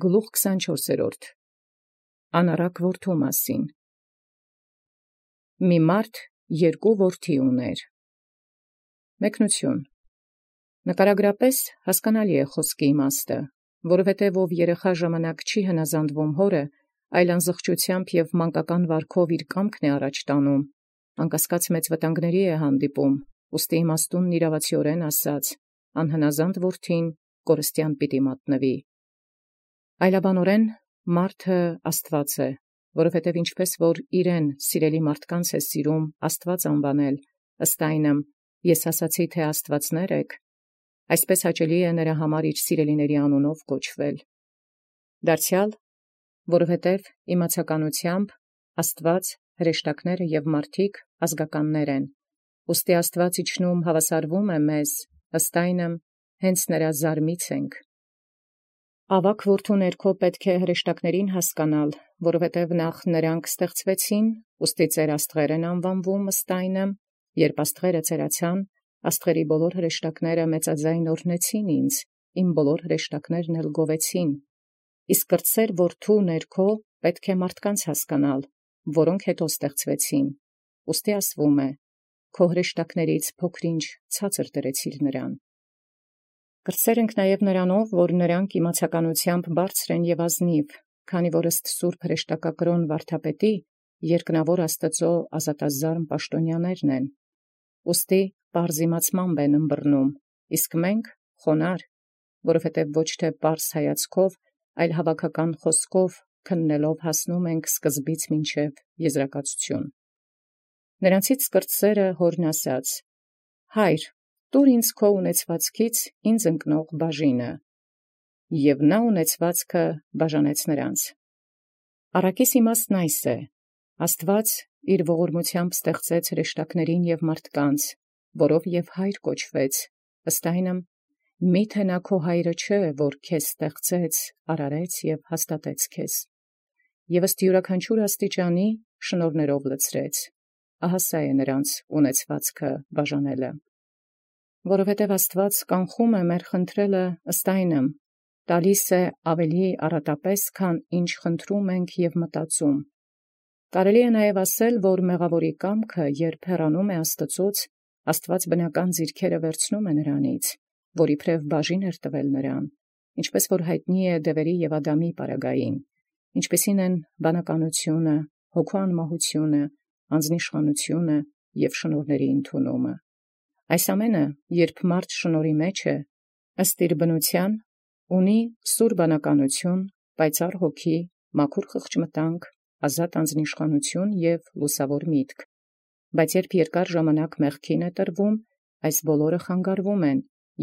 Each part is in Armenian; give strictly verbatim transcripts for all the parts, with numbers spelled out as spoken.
Գլուխ քսանչորսերորդ Անառակ որդու մասին։ Մի մարդ երկու որդի ուներ։ Մեկնություն. նկարագրապես հասկանալի է խոսքի իմաստը, որովհետև ով երեխա ժամանակ չի հնազանդվում հորը, այլ անզղջությամբ և մանկական վարքով իր կամքն է առաջ տանում, անկասկած մեծ վտանգների է հանդիպում, ուստի իմաստունն իրավացիորեն ասաց, անհնազանդ որդին կորստյան պիտի մատնվի։ Այլաբանորեն մարդը Աստված է, որովհետև ինչպես որ իրեն սիրելի մարդկանց է սիրում Աստված անվանել, ըստ այնմ ես ասացի, թե աստվածներ եք, այսպես հաճելի է նրա համար իր սիրելիների անունով կոչվել։ Դարձյալ, որովհետև իմացականությամբ Աստված հրեշտակները և մարդիկ ազգականներ են, ուստի Աստված իջնում հավասարվում է մեզ, ըստ այնմ հենց նրա զարմից ենք։ Ավագ որդու ներքո պետք է հրեշտակներին հասկանալ, որովհետև նախ նրանք ստեղծվեցին, ուստի ծեր աստղեր են անվանվում ըստ այնմ, երբ աստղերը ծերացան, աստղերի բոլոր հրեշտակները մեծաձայն օրհնեցին ինձ, իմ բոլոր հրեշտակներն էլ գովեցին, իսկ կրտսեր որդու ներքո պետք է մարդկանց հասկանալ, որոնք հետո ստեղծվեցին, ուստի ասվում է, քո հրեշտակներից փոքրինչ ցածր դրեցիր նրան։ Կրտսեր ենք նաև նրանով, որ նրանք իմացականությամբ բարձր են և ազնիվ, քանի որ ըստ սուրբ հրեշտակակրոն վարդապետի երկնավոր Աստծո ազատազարմ պաշտոնյաներն են, ուստի պարզ իմացմամբ են ըմբռնում, իսկ մենք խոնարհ, որովհետև ոչ թե պարզ հայացքով, այլ հավաքական խոսքով քննելով հասնում ենք սկզբից մինչև եզրակացություն։ Նրանցից կրտսերը հորն ասաց. «Հայր, տուր ինձ քո ունեցվածքից ինձ ընկնող բաժինը», և նա ունեցվածքը բաժանեց նրանց։ Առակիս իմաստն այս է. Աստված իր ողորմությամբ ստեղծեց հրեշտակներին և մարդկանց, որով և հայր կոչվեց, ըստ այնմ, միթե նա քո հայրը չէ, որ քեզ ստեղծեց, արարեց և հաստատեց քեզ, և ըստ յուրաքանչյուր աստիճանի շնորհներով լցրեց, ահա սա է նրանց ունեցվածքը բաժանելը։ Որովհետև Աստված կանխում է մեր խնդրելը ըստ այնմ, տալիս է ավելի առատապես, քան ինչ խնդրում ենք և մտածում։ Կարելի է նաև ասել, որ մեղավորի կամքը, երբ հեռանում է Աստծոց, Աստված բնական ձիրքերը վերցնում է նրանից, որ իբրև բաժին էր տվել նրան, ինչպես որ հայտնի է Դևերի և Ադամի պարագային, ինչպիսին են բանականությունը, հոգու անմահությունը, անձնիշխանությունը և շնորհների ընդունումը։ Այս ամենը, երբ մարդ շնորհի մեջ է, ըստ իր բնության, ունի սուր բանականություն, պայծառ հոգի, մաքուր խղճմտանք, ազատ անձնիշխանություն և լուսավոր միտք, բայց երբ երկար ժամանակ մեղքին է տրվում, այս բոլորը խանգարվում են,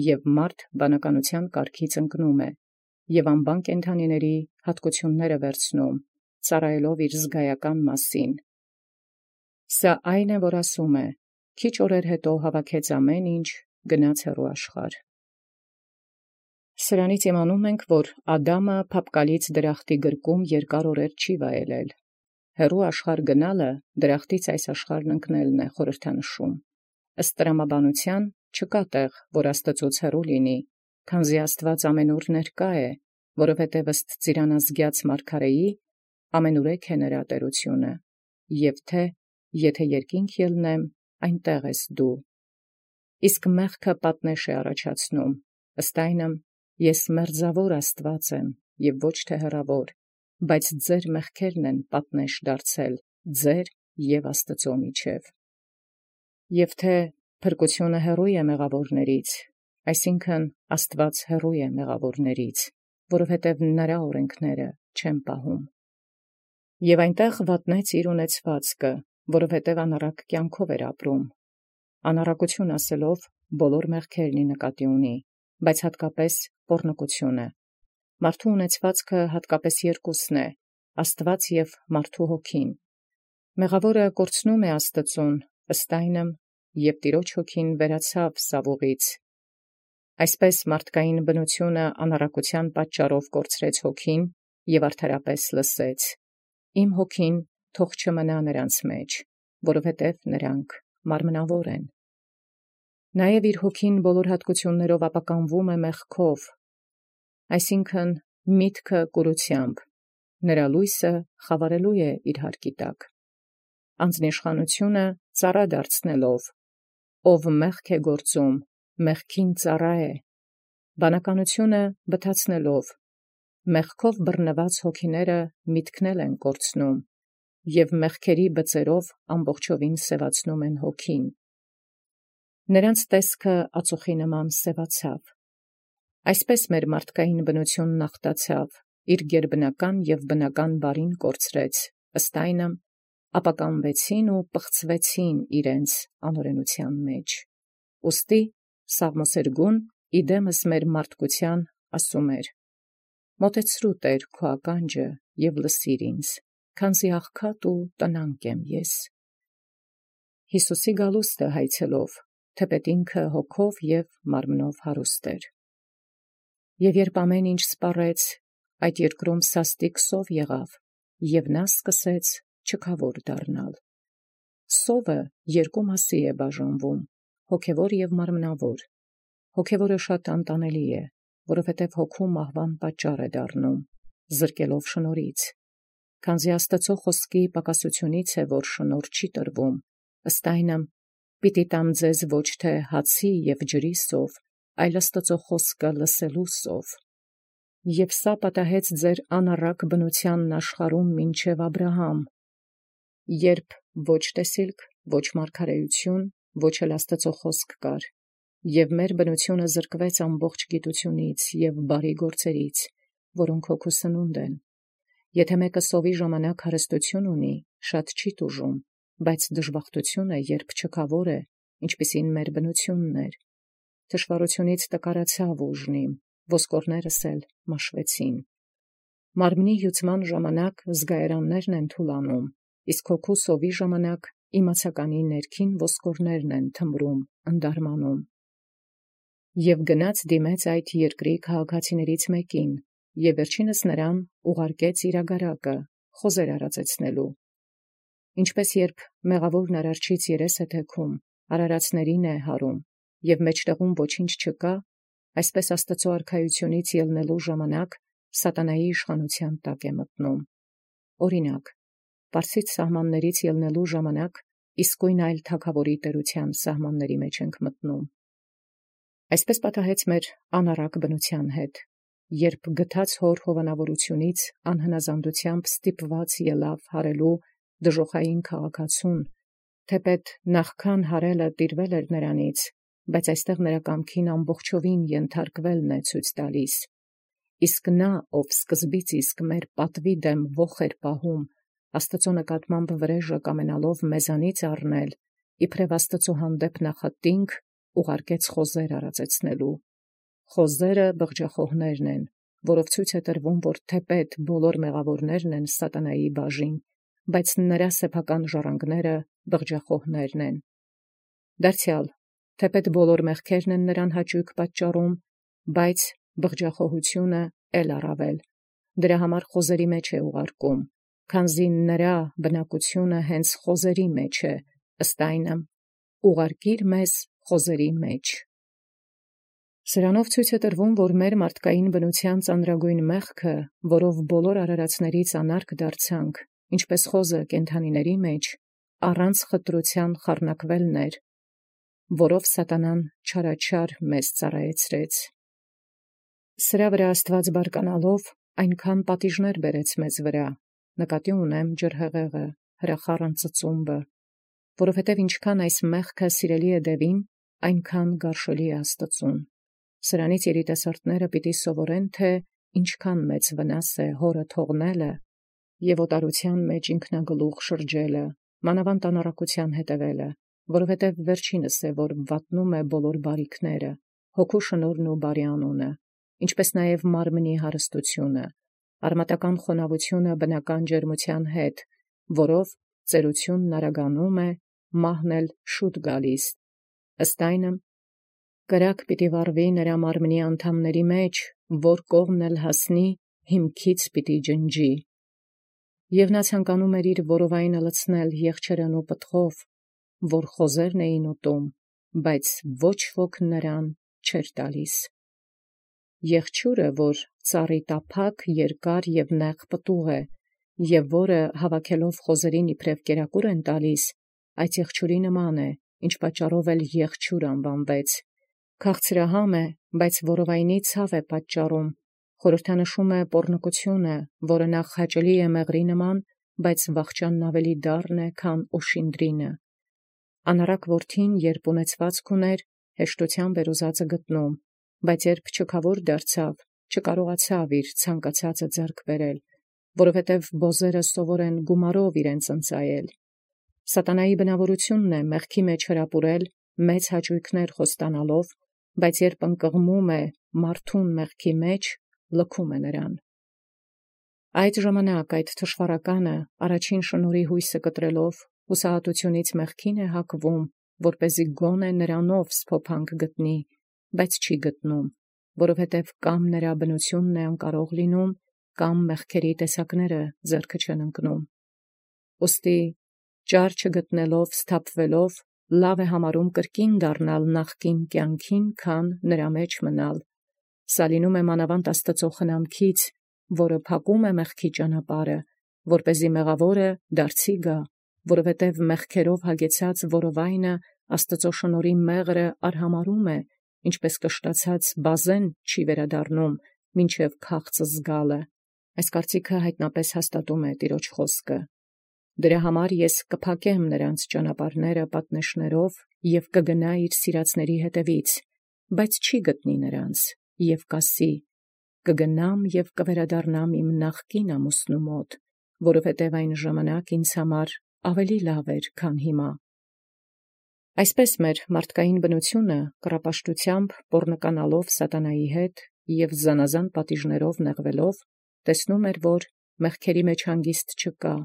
և մարդ բանականության կարգից ընկնում է, և անբան կենդանիների հատկությունները վերցնում, ծառայելով իր զգայական մասին։ Սա այն է, որ ասում է. քիչ օրեր հետո հավաքեց ամեն ինչ, գնաց հեռու աշխարհ։ Սրանից իմանում ենք, որ Ադամը փափկալից դրախտի գրկում երկար օրեր չի վայելել։ Հեռու աշխարհ գնալը դրախտից այս աշխարհն ընկնելն է խորհրդանշում։ Ըստ տրամաբանության չկա տեղ, որ Աստծոց հեռու լինի, քանզի Աստված ամենուր ներկա է, որովհետև ըստ ծիրանազգյաց մարգարեի ամենուրեք է նրա տերությունը, և թե եթե երկինք ելնեմ, այնտեղ ես դու։ Իսկ մեղքը պատնեշ է առաջացնում, ըստ այնմ ես մերձավոր Աստված եմ և ոչ թե հեռավոր, բայց ձեր մեղքերն են պատնեշ դարձել ձեր և Աստծո միջև։ Եվ թե փրկությունը հեռու է մեղավորներից, այսինքն Աստված հեռու է մեղավորներից, որովհետև նրա օրենքները չեն պահում։ Եվ այնտեղ վատնեց իր ունեցվածքը, որովհետև անառակ կյանքով էր ապրում։ Անառակություն ասելով բոլոր մեղքերն ի նկատի ունի, բայց հատկապես պոռնկությունը։ Մարդու ունեցվածքը հատկապես երկուսն է, Աստված և մարդու հոգին։ Մեղավորը կորցնում է Աստծուն, ըստ այնմ, և Տիրոջ հոգին վերացավ սավուղից։ Այսպես մարդկային բնությունը անառակության պատճառով կորցրեց հոգին և արդարապես լսեց. «Իմ հոգին թող չմնա նրանց մեջ, որովհետև նրանք մարմնավոր են»։ Նաև իր հոգին բոլոր հատկություններով ապականվում է մեղքով, այսինքն միտքը կուրությամբ, նրա լույսը խավարելու է իր հարկի տակ, անձնիշխանությունը ծառա դարձնելով, ով մեղք է գործում, մեղքին ծառա է, բանականությունը բթացնելով, մեղքով բռնված հոգիները միտքնել են կորցնում, և մեղքերի բծերով ամբողջովին սևացնում են հոգին։ Նրանց տեսքը ածուխի նման սևացավ։ Այսպես մեր մարդկային բնությունն ախտացավ, իր գերբնական և բնական բարին կորցրեց, ըստ այնմ ապականվեցին ու պղծվեցին իրենց անօրենության մեջ։ Ուստի Սաղմոսերգուն իդեմս մեր մարդկության ասում էր. «Մոտեցրու Տեր քո ականջը և լսիր ինձ, քանզի աղքատ ու տնանկ եմ ես»։ Հիսուսի գալուստը հայցելով, թեպետ ինքը հոգով և մարմնով հարուստ էր։ Եվ երբ ամեն ինչ սպառեց, այդ երկրում սաստիկ սով եղավ, և նա սկսեց չքավոր դառնալ։ Սովը երկու մասի է բաժանվում, հոգևոր և մարմնավոր։ Հոգևորը շատ անտանելի է, որովհետև հոգու մահվան պատճառ է դառնում, զրկելով շնորհից, քանզի Աստծո խոսքի պակասությունից է, որ շնորհ չի տրվում, ըստ այնմ պիտի տամ ձեզ ոչ թե հացի և ջրի սով, այլ Աստծո խոսքը լսելու սով։ Եվ սա պատահեց ձեր անառակ բնությանն աշխարհում մինչև Աբրահամ, երբ ոչ տեսիլք, ոչ մարգարեություն, ոչ էլ Աստծո խոսք կար, և մեր բնությունը զրկվեց ամբողջ գիտությունից և բարի գործերից, որոնք հոգու սնունդ են։ Եթե մեկը սովի ժամանակ հարստություն ունի, շատ չի տուժում, բայց դժբախտություն է, երբ չքավոր է, ինչպիսին մեր բնությունն էր։ Թշվառությունից տկարացավ ուժնիմ, ոսկորներս էլ մաշվեցին։ Մարմնի հյուծման ժամանակ զգայարաններն են թուլանում, իսկ հոգու սովի ժամանակ իմացականի ներքին ոսկորներն են թմրում, ընդարմանում։ Եվ գնաց դիմեց այդ երկրի քաղաքացիներից մեկին, և վերջինս նրան ուղարկեց իրագարակը, խոզեր արածեցնելու։ Ինչպես երբ մեղավորն արարչից երես է թեքում, արարածներին է հարում, և մեջտեղում ոչինչ չկա, այսպես Աստծո արքայությունից ելնելու ժամանակ սատանայի իշխանության տակ է մտնում։ Օրինակ, պարսից սահմաններից ելնելու ժամանակ իսկույն այլ թագավորի տերության սահմանների մեջ ենք մտնում։ Այսպես պատահեց մեր անառակ բնության հետ, երբ գթած հոր հովանավորությունից անհնազանդությամբ ստիպված ելավ հարելու դժոխային քաղաքացուն, թեպետ նախքան հարելը տիրվել էր նրանից, բայց այստեղ նրա կամքին ամբողջովին ենթարկվելն է ցույց տալիս։ Իսկ նա, ով սկզբից իսկ մեր պատվի դեմ ոխ էր պահում, Աստծո նկատմամբ վրեժը կամենալով մեզանից առնել, իբրև Աստծո հանդեպ նախատինք, ուղարկեց խոզեր արածեցնելու։ Խոզերը բղջախոհներն են, որով ցույց է տրվում, որ թեպետ բոլոր մեղավորներն են սատանայի բաժին, բայց նրա սեփական ժառանգները բղջախոհներն են։ Դարձյալ, թեպետ բոլոր մեղքերն են նրան հաճույք պատճառում, բայց բղջախոհությունը էլ առավել, դրա համար խոզերի մեջ է ուղարկում, քանզի նրա բնակությունը հենց խոզերի մեջ է, ըստ այնմ ուղարկիր մեզ խոզերի մեջ։ Սրանով ցույց է տրվում, որ մեր մարդկային բնության ծանրագույն մեղքը, որով բոլոր արարածներից անարգ դարձանք, ինչպես խոզը կենդանիների մեջ, առանց խտրության խառնակվելն էր, որով սատանան չարաչար մեզ ծառայեցրեց։ Սրա վրա Աստված բարկանալով այնքան պատիժներ բերեց մեզ վրա, նկատի ունեմ ջրհեղեղը, հրախառն ծծումբը, որովհետև ինչքան այս մեղքը սիրելի է դևին, այնքան գարշելի է Աստծուն։ Սրանից երիտասարդները պիտի սովորեն, թե ինչքան մեծ վնաս է հորը թողնելը և օտարության մեջ ինքնագլուխ շրջելը, մանավանդ անառակության հետևելը, որովհետև վերջինս է, որ վատնում է բոլոր բարիքները, հոգու շնորհն ու բարի անունը, ինչպես նաև մարմնի հարստությունը, արմատական խոնավությունը բնական ջերմության հետ, որով ծերությունն արագանում է, մահն էլ շուտ գալիս։ Ըստ այնմ կրակ պիտի վառվի նրա մարմնի անդամների մեջ, որ կողմն էլ հասնի, հիմքից պիտի ջնջի։ Եվ նա ցանկանում էր իր որովայնը լցնել եղջերն ու պտղով, որ խոզերն էին ուտում, բայց ոչ ոք նրան չէր տալիս։ Եղջյուրը, որ ծառի տափակ, երկար և նեղ պտուղ է, և որը հավաքելով խոզերին իբրև կերակուր են տալիս, այդ եղջյուրի նման է, ինչ պատճառով էլ եղջյուր անվանվեց. քաղցրահամ է, բայց որովայնի ցավ է պատճառում, խորհրդանշում է պոռնկությունը, որը նախ հաճելի է մեղրի նման, բայց վախճանն ավելի դառն է, քան օշինդրինը։ Անառակ որդին, երբ ունեցվածք ուներ, հեշտությամբ էր ուզածը գտնում, բայց երբ չքավոր դարձավ, չկարողացավ իր ցանկացածը ձեռք բերել, որովհետև բոզերը սովոր են գումարով իրենց ընծայել։ Սատանայի բնավորությունն է մեղքի մեջ հրապուրել, մեծ հաճույքներ խոստանալով, բայց երբ ընկղմում է մարդուն մեղքի մեջ, լքում է նրան։ Այդ ժամանակ այդ թշվառականը առաջին շնորհի հույսը կտրելով, հուսահատությունից մեղքին է հակվում, որպեսզի գոնե նրանով սփոփանք գտնի, բայց չի գտնում, որովհետև կամ նրա բնությունն է անկարող լինում, կամ մեղքերի տեսակները ձեռքը չեն ընկնում։ Ուստի ճար չգտնելով, սթափվելով, լավ է համարում կրկին դառնալ նախկին կյանքին, քան նրա մեջ մնալ։ Սա լինում է մանավանդ Աստծո խնամքից, որը փակում է մեղքի ճանապարհը, որպեսզի մեղավորը դարձի գա, որովհետև մեղքերով հագեցած որովայնը Աստծո շնորհի մեղրը արհամարում է, ինչպես կշտացած բազեն չի վերադառնում, մինչև քաղցը զգալը։ Այս կարծիքը հայտնապես հաստատում է տիրոջ խոսքը։ Դրա համար ես կփակեմ նրանց ճանապարհները պատնեշներով և կգնա իր սիրածների հետևից, բայց չի գտնի նրանց, և կասի. կգնամ և կվերադառնամ իմ նախկին ամուսնու մոտ, որովհետև այն ժամանակ ինձ համար ավելի լավ էր, քան հիմա։ Այսպես մեր մարդկային բնությունը կռապաշտությամբ պոռնկանալով սատանայի հետ և զանազան պատիժներով նեղվելով, տեսնում էր, որ մեղքերի մեջ հանգիստ չկա,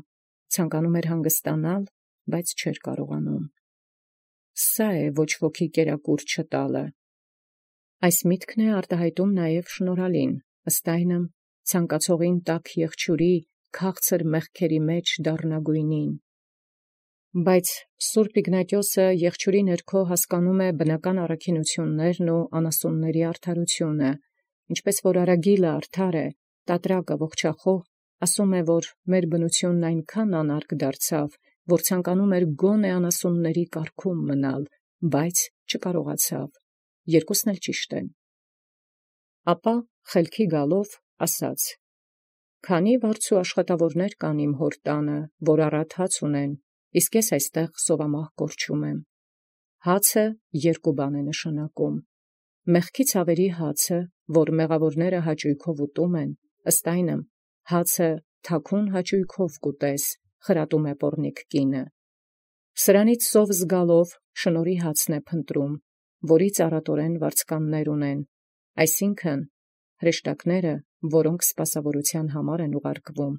ցանկանում էր հանգստանալ, բայց չէր կարողանում։ Սա է ոչ ոքի կերակուր չտալը։ Այս միտքն է արտահայտում նաև շնորհալին, ըստ այնմ ցանկացողին տաք եղջյուրի քաղցր մեղքերի մեջ դառնագույնին։ Բայց Սուրբ Իգնատիոսը եղջյուրի ներքո հասկանում է բնական առաքինություններն ու անասունների արդարությունը, ինչպես որ արագիլը արդար է, տատրակը ողջախոհ, ասում է, որ մեր բնությունն այնքան անարգ դարձավ, որ ցանկանում էր գոնե անասունների կարգում մնալ, բայց չկարողացավ։ Երկուսն էլ ճիշտ են։ Ապա խելքի գալով ասաց. «Քանի վարձու աշխատավորներ կան իմ հոր տանը, որ առատ հաց ունեն, իսկ ես այստեղ սովամահ կորչում եմ»։ Հացը երկու բան է նշանակում. մեղքից ավերի հացը, որ մեղավորները հաճույքով ուտում են, ըստ այնմ հացը թաքուն հաճույքով կուտես, խրատում է պոռնիկ կինը։ Սրանից սով զգալով շնորհի հացն է փնտրում, որից առատորեն վարձկաններ ունեն, այսինքն հրեշտակները, որոնք սպասավորության համար են ուղարկվում,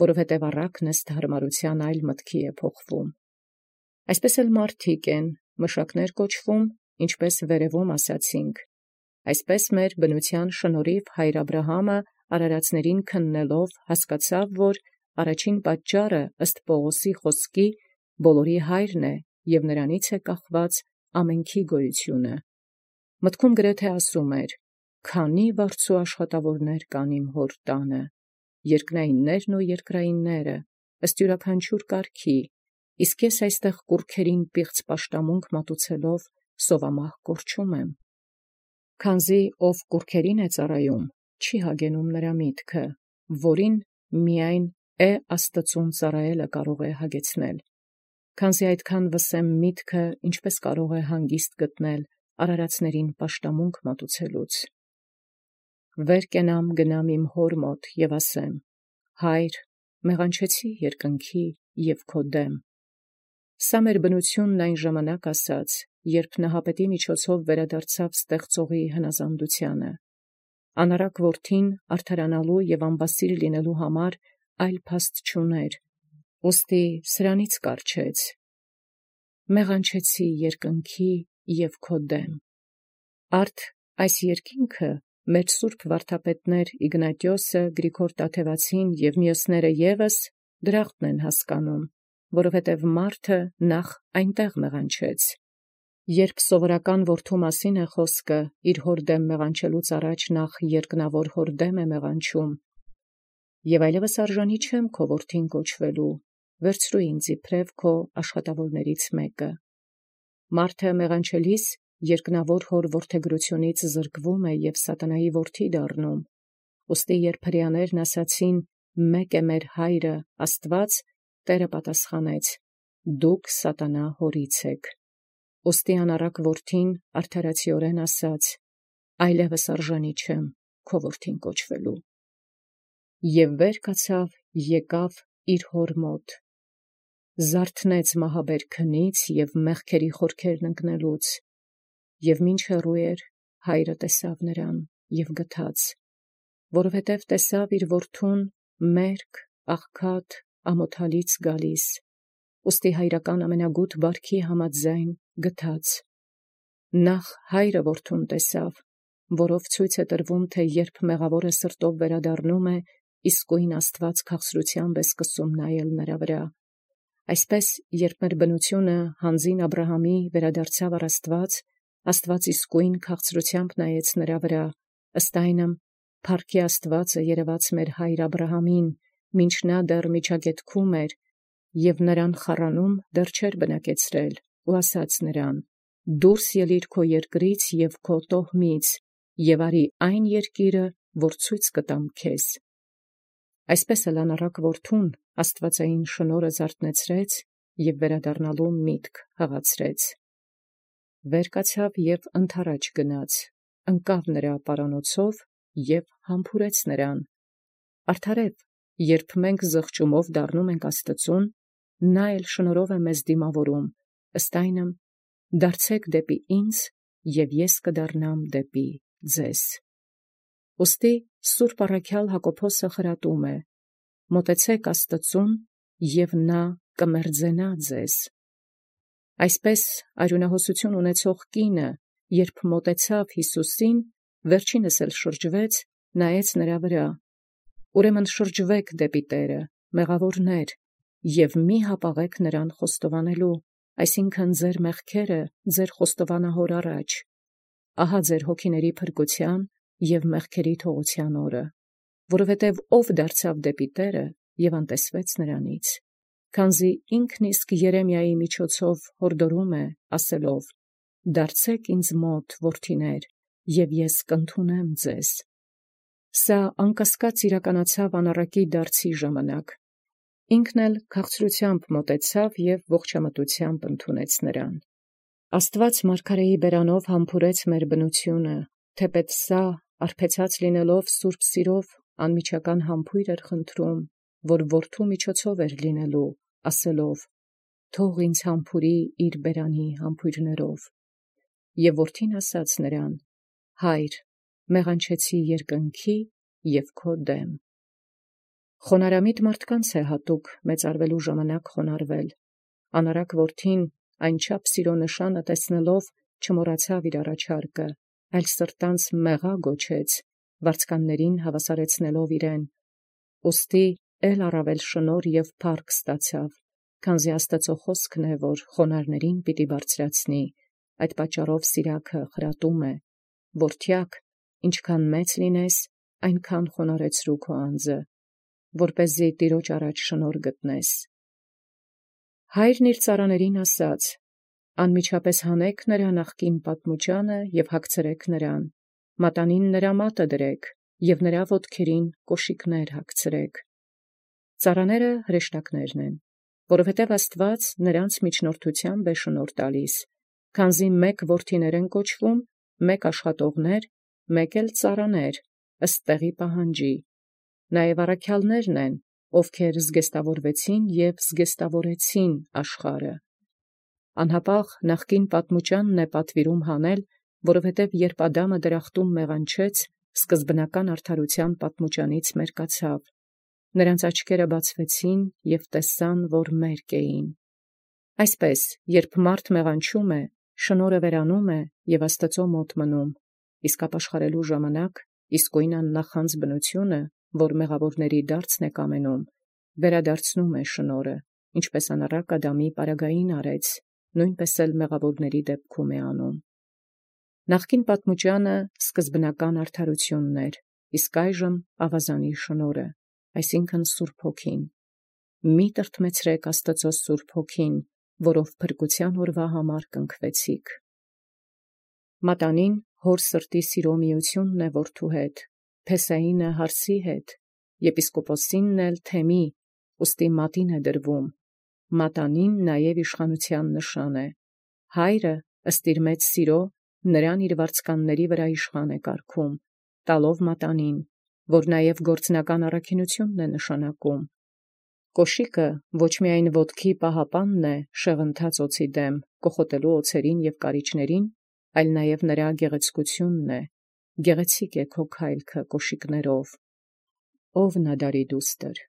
որովհետև առակն ըստ հարմարության այլ մտքի է փոխվում։ Այսպես էլ մարդիկ են, մշակներ կոչվում, ինչպես վերևում ասացինք։ Այսպես մեր բնության շնորհիվ հայր Աբրահամը արարածներին քննելով հասկացավ, որ առաջին պատճառը ըստ Պողոսի խոսքի բոլորի հայրն է և նրանից է կախված ամենքի գոյությունը։ Մտքում գրեթե ասում էր. «Քանի վարձու աշխատավորներ կան իմ հոր տանը, երկնայիններն ու երկրայինները, ըստ յուրաքանչյուր կարգի, իսկ ես այստեղ կուռքերին պիղծ պաշտամունք մատուցելով սովամահ կորչում եմ»։ Քանզի ով կուռքերին է ծառայում, չի հագենում նրա միտքը, որին միայն է Աստծուն ծառայելը կարող է հագեցնել։ Քանզի այդքան վսեմ միտքը ինչպես կարող է հանգիստ գտնել արարածներին պաշտամունք մատուցելուց։ Վեր կենամ գնամ իմ հոր մոտ և ասեմ. «Հայր, մեղանչեցի երկնքի և քո դեմ»։ Սա մեր բնությունն այն ժամանակ ասաց, երբ Նահապետի միջոցով վերադարձավ ստեղծողի հնազանդությանը։ Անառակ որդին արդարանալու և անբասիր լինելու համար այլ փաստ չուներ, ուստի սրանից կառչեց. «Մեղանչեցի երկնքի և քո դեմ»։ Արդ այս երկինքը մեր սուրբ վարդապետներ Իգնատիոսը, Գրիգոր Տաթևացին և մյուսները ևս դրախտն են հասկանում, որովհետև մարդը նախ այնտեղ մեղանչեց։ Երբ սովորական որդու մասին է խոսքը, իր հոր դեմ մեղանչելուց առաջ նախ երկնավոր հոր դեմ է մեղանչում, և այլևս արժանի չեմ քո որդին կոչվելու, վերցրու ինձ իբրև քո աշխատավորներից մեկը։ Մարդը մեղանչելիս երկնավոր հոր որդեգրությունից զրկվում է և սատանայի որդի դառնում, ուստի երբ հրեաներն ասացին. «Մեկ է մեր հայրը Աստված», Տէրը պատասխանեց. «Դուք սատանա հորից եք»։ Ուստի անառակ որդին արդարացիորեն ասաց. «Այլևս արժանի չեմ քո որդին կոչվելու»։ Եւ վեր կացավ, եկավ իր հոր մոտ, զարթնեց մահաբեր քնից և մեղքերի խորքերն ընկնելուց, և մինչ հեռու էր, հայրը տեսավ նրան և գթաց, որովհետև տեսավ իր որդուն մերկ, աղքատ, ամոթալից գալիս, ուստի հայրական ամենագութ բարքի համաձայն գթաց։ Նախ հայրը որդուն տեսավ, որով ցույց է տրվում, թե երբ մեղավորը սրտով վերադառնում է, իսկույն Աստված քաղցրությամբ է սկսում նայել նրա վրա։ Այսպես, երբ մեր բնությունը հանձին Աբրահամի վերադարձավ առ Աստված, Աստված իսկույն քաղցրությամբ նայեց նրա վրա, ըստ այնմ, փառքի Աստվածը երևաց մեր հայր Աբրահամին, մինչ նա դեռ միջագետքում էր, և նրան խառանում դեռ չէր բնակեցրել, ու ասաց նրան. «Դուրս ելիր քո երկրից և քո տոհմից, և արի այն երկիրը, որ ցույց կտամ քեզ»։ Այսպես էլ անառակ որդուն աստվածային շնորհը զարթնեցրեց և վերադառնալու միտք հղացրեց։ Վեր կացավ և ընդառաջ գնաց, ընկավ նրա պարանոցով և համբուրեց նրան։ Արդարև, երբ մենք զղջումով դառնում ենք Աստծուն, նա էլ շնորհով է մեզ դիմավորում, ըստ այնմ, դարձեք դեպի ինձ, և ես կդառնամ դեպի ձեզ։ Ուստի Սուրբ առաքյալ Հակոբոսը խրատում է. մոտեցեք Աստծուն, և նա կմերձենա ձեզ։ Այսպես արյունահոսություն ունեցող կինը, երբ մոտեցավ Յիսուսին, վերջինս էլ շրջվեց, նայեց նրա վրա։ Ուրեմն շրջվեք դեպի Տէրը, մեղավորներ, և մի հապաղեք նրան խոստովանելու, այսինքն ձեր մեղքերը ձեր խոստովանահոր առաջ։ Ահա ձեր հոգիների փրկության և մեղքերի թողության օրը, որովհետև ով դարձավ դեպի Տէրը և անտեսվեց նրանից, քանզի ինքն իսկ Երեմիայի միջոցով հորդորում է, ասելով. «Դարձեք ինձ մոտ, որդիներ, և ես կընդունեմ ձեզ»։ Սա անկասկած իրականացավ անառակի դարձի ժամանակ։ Ինքն էլ քաղցրությամբ մոտեցավ և ողջամտությամբ ընդունեց նրան։ Աստված մարգարեի բերանով համբուրեց մեր բնությունը, թեպետ սա, արբեցած լինելով սուրբ սիրով, անմիջական համբույր էր խնդրում, որ որդու միջոցով էր լինելու, ասելով. «Թող ինձ համբուրի իր բերանի համբույրներով»։ Եվ որդին ասաց նրան. «Հայր, մեղանչեցի երկնքի և քո դեմ»։ Խոնարհամիտ մարդկանց է հատուկ մեծարվելու ժամանակ խոնարհվել։ Անառակ որդին այնչափ սիրո նշանը տեսնելով չմոռացավ իր առաջարկը, այլ սրտանց մեղա գոչեց, վարձկաններին հավասարեցնելով իրեն, ուստի էլ առավել շնորհ և փառք ստացավ, քանզի Աստծո խոսքն է, որ խոնարհներին պիտի բարձրացնի, այդ պատճառով սիրակը խրատում է. «Որդյակ, ինչքան մեծ լինես, այնքան խոնարհեցրու քո անձը, որպեսզի Տիրոջ առաջ շնորհ գտնես»։ Հայրն իր ծառաներին ասաց. «Անմիջապես հանեք նրա նախկին պատմուճանը և հագցրեք նրան, մատանին նրա մատը դրեք և նրա ոտքերին կոշիկներ հագցրեք»։ Ծառաները հրեշտակներն են, որովհետև Աստված նրանց միջնորդությամբ է շնորհ տալիս, քանզի մեկ որդիներ են կոչվում, մեկ աշխատողներ, մեկ էլ ծառաներ, ըստ տեղի պահանջի։ Նաև առաքյալներն են, ովքեր զգեստավորվեցին և զգեստավորեցին աշխարհը։ Անհապաղ նախկին պատմուճանն է պատվիրում հանել, որովհետև երբ Ադամը դրախտում մեղանչեց, սկզբնական արդարության պատմուճանից մերկացավ։ Նրանց աչքերը բացվեցին և տեսան, որ մերկ էին։ Այսպես, երբ մարդ մեղանչում է, շնորհը վերանում է և Աստծո մոտ մնում, իսկ ապաշխարելու ժամանակ իսկույն աննախանձ բնությունը, որ մեղավորների դարձն է կամենում, վերադարձնում է շնորհը, ինչպես անառակ Ադամի պարագային արեց, նույնպես էլ մեղավորների դեպքում է անում։ Նախկին պատմուճանը սկզբնական արդարությունն էր, իսկ այժմ ավազանի շնորհը, այսինքն Սուրբ Հոգին։ Մի տրտմեցրեք Աստծո Սուրբ Հոգին, որով փրկության օրվա համար կնքվեցիք։ Մատանին հոր սրտի սիրո միությունն է որդու հետ, Փեսայինը հարսի հետ, եպիսկոպոսինն էլ թեմի, ուստի մատին է դրվում։ Մատանին նաև իշխանության նշան է։ Հայրը ըստ իր մեծ սիրո նրան իր վարձկանների վրա իշխան է կարգում, տալով մատանին, որ նաև գործնական առաքինությունն է նշանակում։ Կոշիկը ոչ միայն ոտքի պահապանն է շեղընթաց օձի դեմ, կոխոտելու օձերին և կարիճներին, այլ նաև նրա գեղեցկությունն է։ Գեղեցիկ է քո քայլքը կոշիկներով։ Ով նադարի դուստր։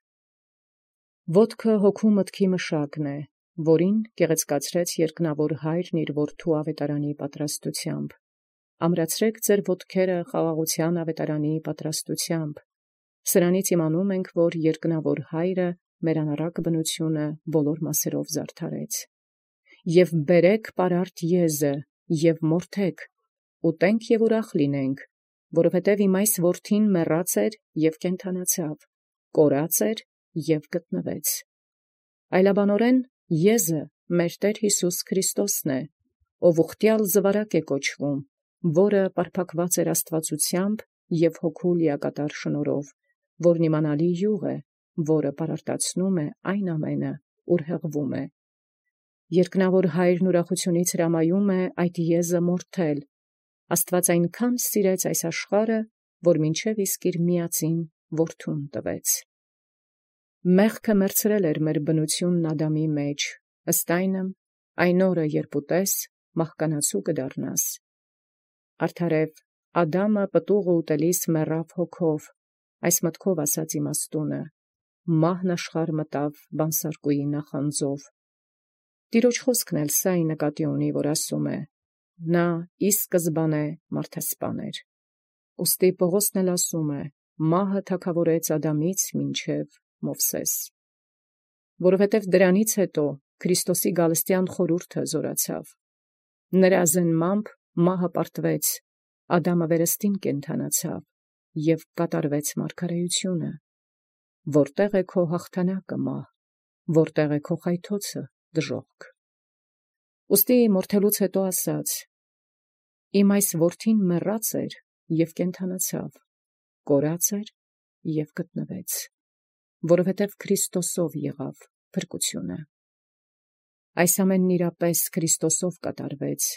Ոտքը հոգու մտքի մշակն է, որին գեղեցկացրեց երկնավոր հայրն իր որդու ավետարանի պատրաստությամբ։ Ամրացրեք ձեր ոտքերը խաղաղության ավետարանի պատրաստությամբ։ Սրանից իմանում ենք, որ երկնավոր հայրը մեր անառակ բնությունը բոլոր մասերով զարդարեց։ Եվ բերեք պարարտ եզը, և մորթեք, ուտենք և ուրախ լինենք, որովհետև իմ այս որդին մեռած էր և կենդանացավ, կորած էր և գտնվեց։ Այլաբանորեն եզը մեր Տեր Հիսուս Քրիստոսն է, ով ուխտյալ զվարակ է կոչվում, որը պարփակված էր աստվածությամբ և հոգու լիակատար շնորհով, որն իմանալի յուղ է, որը պարարտացնում է այն ամենը, ուր հղվում է։ Երկնավոր հայրն ուրախությունից հրամայում է այդ եզը մորթել։ Աստված այնքան սիրեց այս աշխարհը, որ մինչև իսկ իր միածին որդուն տվեց։ Մեղքը մերցրել էր մեր բնությունն Ադամի մեջ, ըստ այնմ, այն օրը, երբ ուտես, մահկանացու կդառնաս։ Արդարև Ադամը պտուղը ուտելիս մեռավ հոգով, այս մտքով ասաց իմաստունը, մահն աշխարհ մտավ բանսարկուի նախանձով։ Տիրոջ խոսքն էլ սա նկատի ունի, որ ասում է. նա ի սկզբանե մարդասպան էր։ Ուստի Պողոսն էլ ասում է. մահը թագավորեց Ադամից մինչև Մովսես։ Որովհետև դրանից հետո Քրիստոսի գալստյան խորհուրդը զորացավ։ Նրա զնմամբ մահը պարտվեց, Ադամը վերստին կենդանացավ և կատարվեց մարգարեությունը։ Որտեղ է քո հաղթանակը, մահ, որտեղ է քո խայթոցը, դժոխք։ Ուստի մորթելուց հետո ասաց. իմ այս որդին մեռած էր և կենդանացավ, կորած էր և գտնվեց, որովհետև Քրիստոսով եղավ փրկությունը։ Այս ամենն իրապես Քրիստոսով կատարվեց,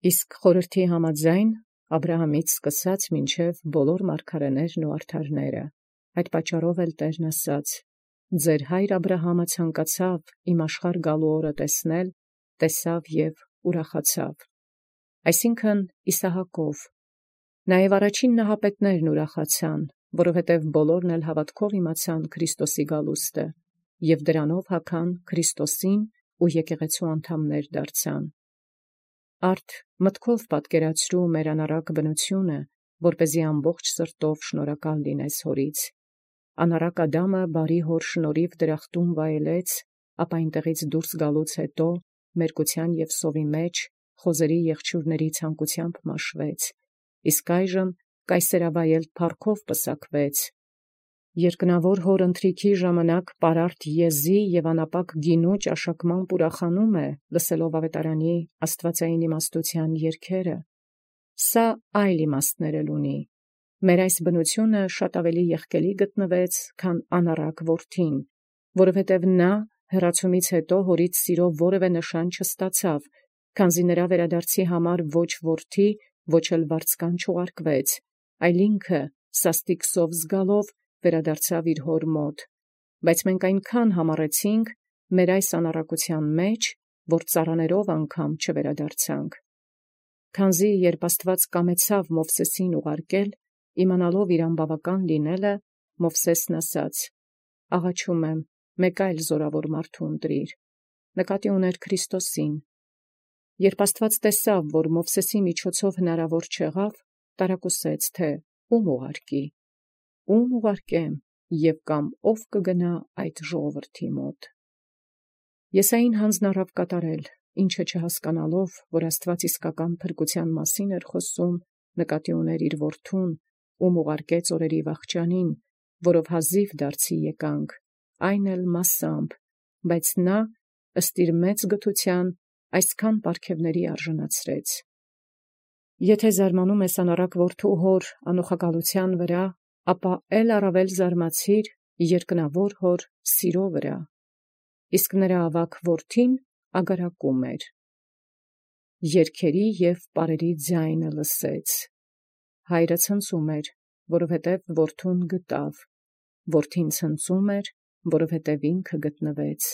իսկ խորհրդի համաձայն Աբրահամից սկսած մինչև բոլոր մարգարեներն ու արդարները։ Այդ պատճառով էլ Տերն ասաց. ձեր հայր Աբրահամը ցանկացավ իմ աշխարհ գալու օրը տեսնել, տեսավ և ուրախացավ։ Այսինքն Իսահակով։ Նաև առաջին նահապետներն ուրախացան, որովհետև բոլորն էլ հավատքով իմացան Քրիստոսի գալուստը, և դրանով հագան Քրիստոսին ու եկեղեցու անդամներ դարձան։ Արդ մտքով պատկերացրու մեր անառակ բնությունը, որպեսզի ամբողջ սրտով շնորհակալ լինես հորից։ Անառակ Ադամը բարի հոր շնորհիվ դրախտում վայելեց, ապա այնտեղից դուրս գալուց հետո մերկության և սովի մեջ խոզերի եղջյուրների ցանկությամբ մաշվեց, իսկ այժմ կայսերավայել փառքով պսակվեց։ Երկնավոր հոր ընթրիքի ժամանակ պարարտ եզի և անապակ գինու ճաշակմամբ ուրախանում է, լսելով ավետարանի աստվածային իմաստության երգերը։ Սա այլ իմաստներ էլ ունի։ Մեր այս բնությունը շատ ավելի եղկելի գտնվեց, քան անառակ որդին, որովհետև նա հեռացումից հետո հորից սիրո որևէ նշան չստացավ, քանզի նրա վերադարձի համար ոչ որդի, ոչ էլ վարձկան չուղարկվեց, այլ ինքը սաստիկ սով զգալով վերադարձավ իր հոր մոտ։ Բայց մենք այնքան համառեցինք մեր այս անառակության մեջ, որ ծառաներով անգամ չվերադարձանք։ Քանզի երբ Աստված կամեցավ Մովսեսին ուղարկել, իմանալով իր անբավական լինելը, Մովսեսն ասաց. աղաչում եմ, մեկ այլ զորավոր մարդու ընտրիր, նկատի ուներ Քրիստոսին։ Երբ Աստված տեսավ, որ Մովսեսի միջոցով հնարավոր չեղավ, տարակուսեց, թե ում ուղարկի, ում ուղարկեմ և կամ ով կգնա այդ ժողովրդի մոտ։ Եսային հանձն առավ կատարել, ինչը չհասկանալով, որ Աստուած իսկական փրկութեան մասին էր խոսում, նկատի ուներ իր որդուն, ում ուղարկեց օրերի վախճանին, որով հազիվ դարձի եկանք, այն էլ մասամբ, բայց նա ըստ իր մեծ գթութեան այսքան պարգևների արժանացրեց։ Եթե զարմանում ես անառակ որդու հոր անուխակալութեան վրա, ապա էլ առավել զարմացիր երկնավոր հոր սիրո վրա։ Իսկ նրա ավակ որդին ագարակում էր։ Երգերի և պարերի ձայնը լսեց։ Հայրը ցնծում էր, որովհետև որդուն գտավ, որդին ցնծում էր, որովհետև ինքը գտնվեց,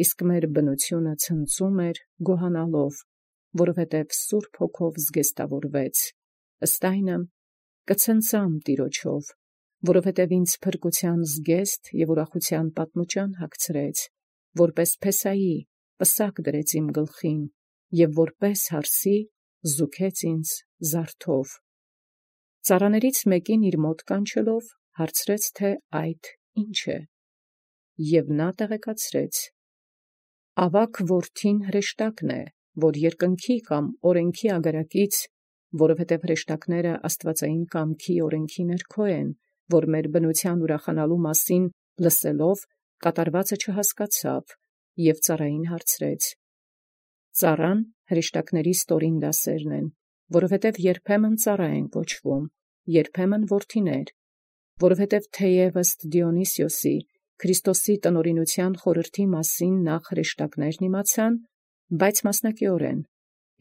իսկ մեր բնությունը ցնծում էր գոհանալով, որովհետև Սուրբ Հոգով զգեստավորվեց, ըստ այնմ կցնծամ Տիրոջով, որովհետև ինձ փրկութեան զգեստ և ուրախութեան պատմուճան հագցրեց, որպես փեսայի պսակ դրեց իմ գլխին, և որպես հարսի զուգեց ինձ զարդով։ Ծառաներից մեկին իր մոտ կանչելով, հարցրեց, թե այդ ինչ է, և նա տեղեկացրեց. ավակ որդին հրեշտակն է, որ երկնքի կամ օրենքի ագարակից, որովհետև հրեշտակները աստվածային կամքի օրենքի ներքո են, որ մեր բնութեան ուրախանալու մասին լսելով կատարվածը չհասկացավ, և ծառային հարցրեց. ծառան հրեշտակների ստորին դասերն են, որովհետև երբեմն ծառա են կոչվում, երբեմն որդիներ, որովհետև թեև ըստ Դիոնիսիոսի Քրիստոսի տնօրինութեան խորհրդի մասին նախ հրեշտակներն իմացան, բայց մասնակիորեն,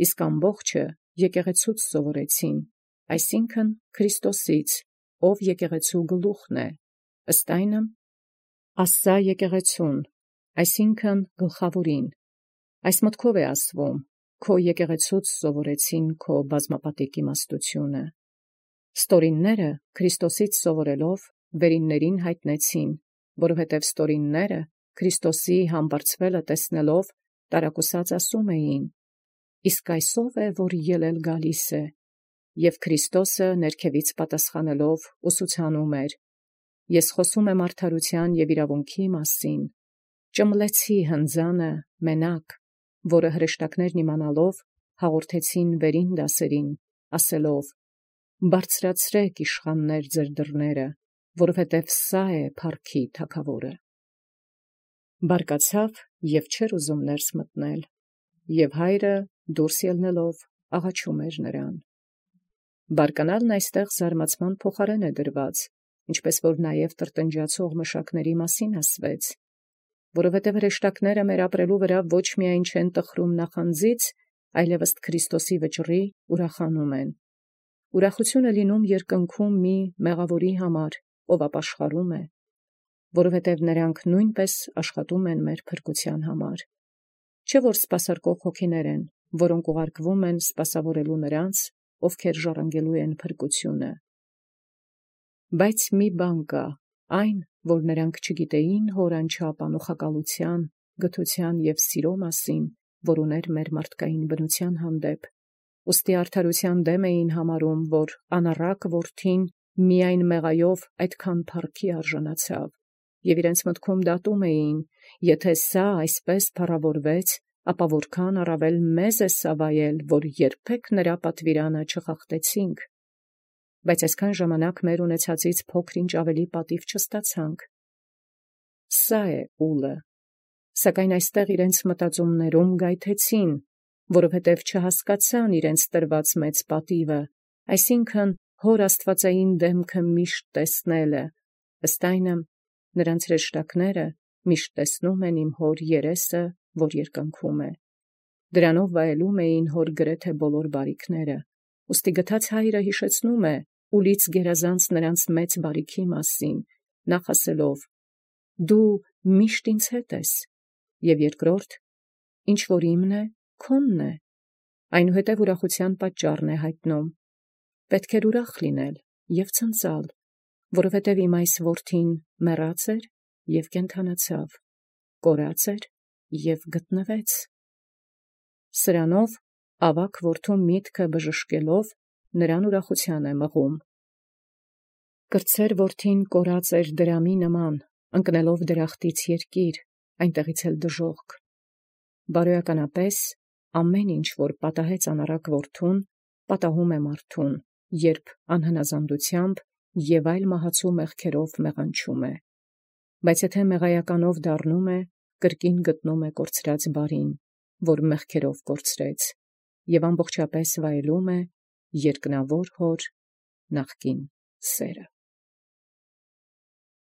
իսկ ամբողջը եկեղեցուց սովորեցին, այսինքն Քրիստոսից, ով եկեղեցու գլուխն է, ըստ այնմ ասա եկեղեցուն, այսինքն գլխավորին, այս մտքով է ասվում, քո եկեղեցուց սովորեցին քո բազմապատիկ իմաստությունը։ Ստորինները Քրիստոսից սովորելով վերիններին հայտնեցին, որովհետև ստորինները Քրիստոսի համբարձվելը տեսնելով տարակուսած ասում էին. իսկ այսով է, որ ելել գալիս է, և Քրիստոսը ներքևից պատասխանելով ուսուցանում էր. ես խոսում եմ արդարութեան և իրավունքի մասին, ճմլեցի հնձանը մենակ, որը հրեշտակներն իմանալով հաղորդեցին վերին դասերին, ասելով. բարձրացրեք իշխաններ ձեր դռները, որովհետև սա է փառքի թագավորը։ Բարկացավ և չէր ուզում ներս մտնել, և հայրը դուրս ելնելով աղաչում էր նրան։ Բարկանալն այստեղ զարմացման փոխարեն է դրված, ինչպես որ նաև տրտնջացող մշակների մասին ասվեց, որովհետև հրեշտակները մեր ապրելու վրա ոչ միայն չեն տխրում նախանձից, այլև ըստ Քրիստոսի վճռի ուրախանում են։ Ուրախությունը լինում երկնքում մի մեղավորի համար, ով ապաշխարում է, որովհետև նրանք նույնպես աշխատում են մեր փրկության համար։ Չէ՞ որ սպասարկող հոգիներ են, որոնք ուղարկվում են սպասավորելու նրանց, ովքեր ժառանգելու են փրկությունը։ Բայց մի բան կա, այն, որ նրանք չգիտեին հոր անչափ անուխակալութեան, գթության և սիրո մասին, որ ուներ մեր մարդկային բնության հանդեպ, ուստի արդարութեան դեմ էին համարում, որ անառակ որդին միայն մեղայով այդքան փառքի արժանացավ, և իրենց մտքում դատում էին, եթե սա այսպես փառավորվեց, ապա որքան առավել մեզ է սա վայել, որ երբեք նրա պատվիրանը չխախտեցինք, բայց այսքան ժամանակ մեր ունեցածից փոքր-ինչ ավելի պատիվ չստացանք։ Սա է ուլը, սակայն այստեղ իրենց մտածումներում գայթեցին, որովհետև չհասկացան իրենց տրված մեծ պատիվը, այսինքն հոր աստվածային դեմքը միշտ տեսնելը, ըստ այնմ նրանց հրեշտակները միշտ տեսնում են իմ հոր երեսը, որ երկնքում է։ Դրանով վայելում էին հոր գրեթե բոլոր բարիքները, ուստի գթած հայրը հիշեցնում է ուլից գերազանց նրանց մեծ բարիքի մասին, նախ ասելով. դու միշտ ինձ հետ ես, և երկրորդ, ինչ որ իմն է, քոնն է, այնուհետև ուրախության պատճառն է հայտնում. պետք էր ուրախ լինել և ցնծալ, որովհետև իմ այս որդին մեռած էր և կենդանացավ, կորած էր և գտնվեց։ Սրանով ավակ որդու միտքը բժշկելով նրան ուրախության է մղում։ Կրտսեր որդին կորած էր դրամի նման, ընկնելով դրախտից երկիր, այնտեղից էլ դժոխք։ Բարոյականապես ամեն ինչ, որ պատահեց անառակ որդուն, պատահում է մարդուն, երբ անհնազանդութեամբ և այլ մահացու մեղքերով մեղանչում է. բայց եթե մեղայականով դառնում է, կրկին գտնում է կորցրած բարին, որ մեղքերով կորցրեց, և ամբողջապես վայելում է երկնավոր հոր նախկին սերը։